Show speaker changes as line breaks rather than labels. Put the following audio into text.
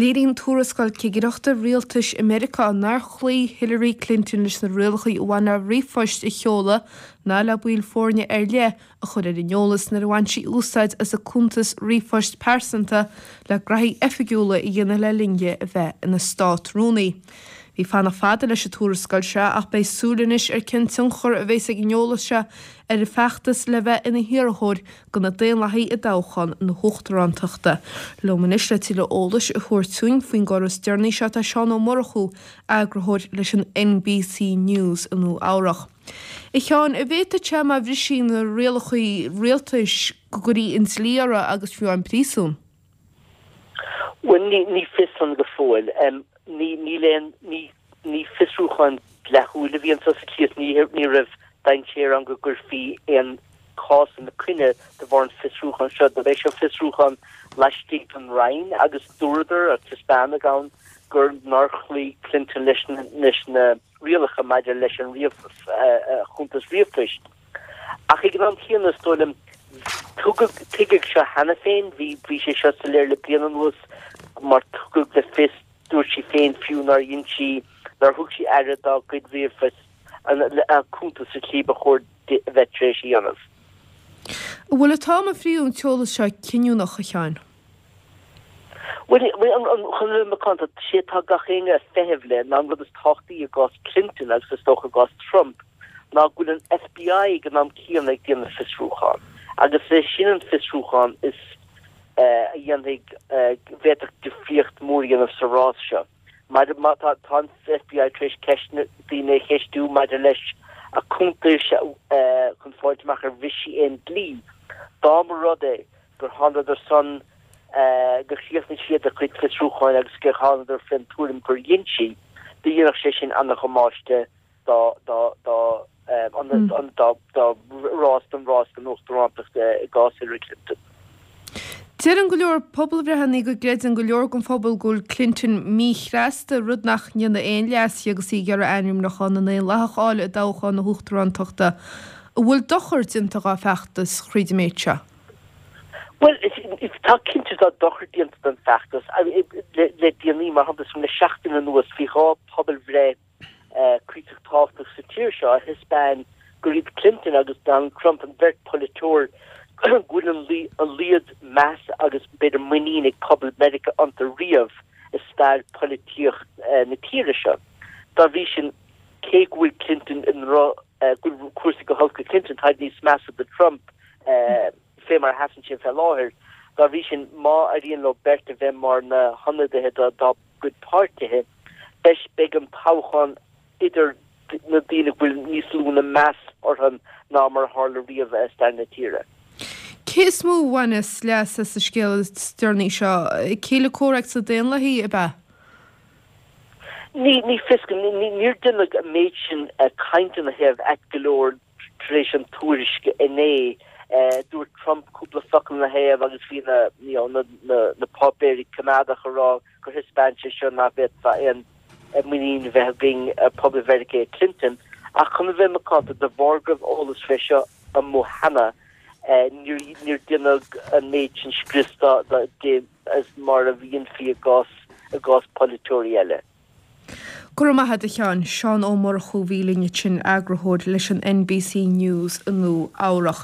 Léiríonn tuarascáil cigireachta rialtais i Meiriceá nár chloígh Hillary Clinton leis na rialacha a bhain le ríomhphoist a sheoladh ná le baill foirne ar leith a chur ar an eolas nuair a bhain sí úsáid as a cuntas ríomhphoist pearsanta le graithí oifigiúla a dhéanamh le linn di a bheith ina Stát-Rúnaí. Bhí fanacht fada leis an tuarascáil seo ach beidh súil anois ar cén tionchar a bheas ag an eolas seo ar a feachtas le bheith ina hiarrthóir do na Daonlathaigh i dtoghchán na huachtarántachta. Liom anois le tuilleadh eolais a thabhairt dúinn faoin gcor is deireanaí seo tá Seán Ó Murchú, eagarthóir leis an NBC News i Nua Eabhrach. A Sheáin, an bhféadfadh sé má bhris sí na rialacha rialtais go gcuirfí an dlí uirthi agus fiú amháin príosún?
Bhuel, ní fios san go fóill. Ní, níl aon, ní, ní fiosrúchán dleathúil a bhí anso sa tslí is ní, ní raibh dainséar ann go gcuirfí aon chás ina coinne de bharr an fiosrúcháin seo. Dob é seo fiosrúchán laistigh den Roinn agus dúradar, agus taispeánadh ann, gur nár chloígh Clinton leis na, leis na rialacha maidir leis an chuntas ríomhphoist. Ach ag an am céanna, is dóigh liom, tugadh, tuigeadh seo cheana féin, bhí, bhí sé seo soiléir le bliain anuas mar tugadh le fios, dúirt sí féin fiú nár dhein sí, nár thug sí aire dá cuid ríomhphoist, a cuntas sa tslí ba chóir di a bheith tar éis a dhéanamh.
An bhfuil an t-am a frítheadh an t-eolas seo cinniúnach, a Sheáin?
Bhuel, chun a bheith macánta, sé atá gach éinne ag feitheamh le ná an rud is tábhachtaí i gcás Clinton agus is dócha i gcás Trump ná go bhfuil an FBI ag an am céanna ag déanamh fiosrúchán agus is é sin an fiosrúchán is a dhéanfaidh, bhféadfadh difríocht mhór a dhéanamh sa rás seo. Maidir, má tá, tá an FBI tar éis ceisteanna, daoine a cheistiú maidir leis a cuntais chun fáilt amach ar bhris sí aon dlí. Dá mba rud é gur thánadar san, gur chríochnaigh siad a gcuid fiosrúcháin agus gur thánadar fén tuairim gur dhein sí, do dhéanfadh sé sin ana-dhamáiste dá, dá, dá, dá, dá rás, don rás don uachtarántacht i gcás Hillary Clinton.
Deireann go leor pobalbhreitheanna go gcreideann go leor den phobal go bhfuil Clinton míchneasta, rud nach ndéanfaidh aon leas di agus í ag iarraidh ainmniúchán na nDaonlathach a fháil i dtoghchán na huachtarántachta. An bhfuil dochar déanta dhá feachtas thríd an méid seo?
Bhuel, tá cinnte tá dochar déanta don feachtas le déanaí, mar shampla, le seachtain anuas bhí 2 pobalbhreith cuíosach tábhachtach sa tír seo a thaispeáin gur iad Clinton agus Donald Trump an bheirt pholaiteoir go bhfuil an laghad meas agus b'fhéidir muinín ag pobal Meiriceá iontu riamh i stair polaitíocht na tíre seo. Dá bhrí sin, cé go bhfuil Clinton i ndroch, go bhfuil cúrsaí go holc do Clinton, táid níos measa do Trump fé mar a sheasann sé fé láthair. Dá bhrí sin, má éiríonn leo beirt a bheith mar na hionadaithe dá gcuid páirtithe, beidh, beidh an toghchán idir na daoine go bhfuil níos lú ná meas orthu ná mar a tharla riamh i stair na tíre.
Cé is mó a bhaineas leas as an scéal is deireanaí seo? Céile comhraic sna Daonlathaigh, ab ea?
Ní, ní fios go, níor deineadh an méid sin cainte ina thaobh ait go leor tar éis an tuairisc inné. Dúirt Trump cúpla focal ina thaobh agus bhí na, you know, na, na, na páipéirí coimeádach ag rá gur thaispeáin sé seo nach bhféadfá aon muinín a bheith againn ar pobal Mheiriceá i Clinton. Ach chun a bheith macánta, de bharr go raibh eolas fé seo amuigh cheana, níor, níor deineadh an méid sin scrios di as mar a dhéanfaí i gcás, i gcás polaiteoirí eile.
Go raibh maith agat a Sheáin. Seán Ó Murchú a bhí linn ansin, eagarthóir leis an NBC News i Nua Eabhrach.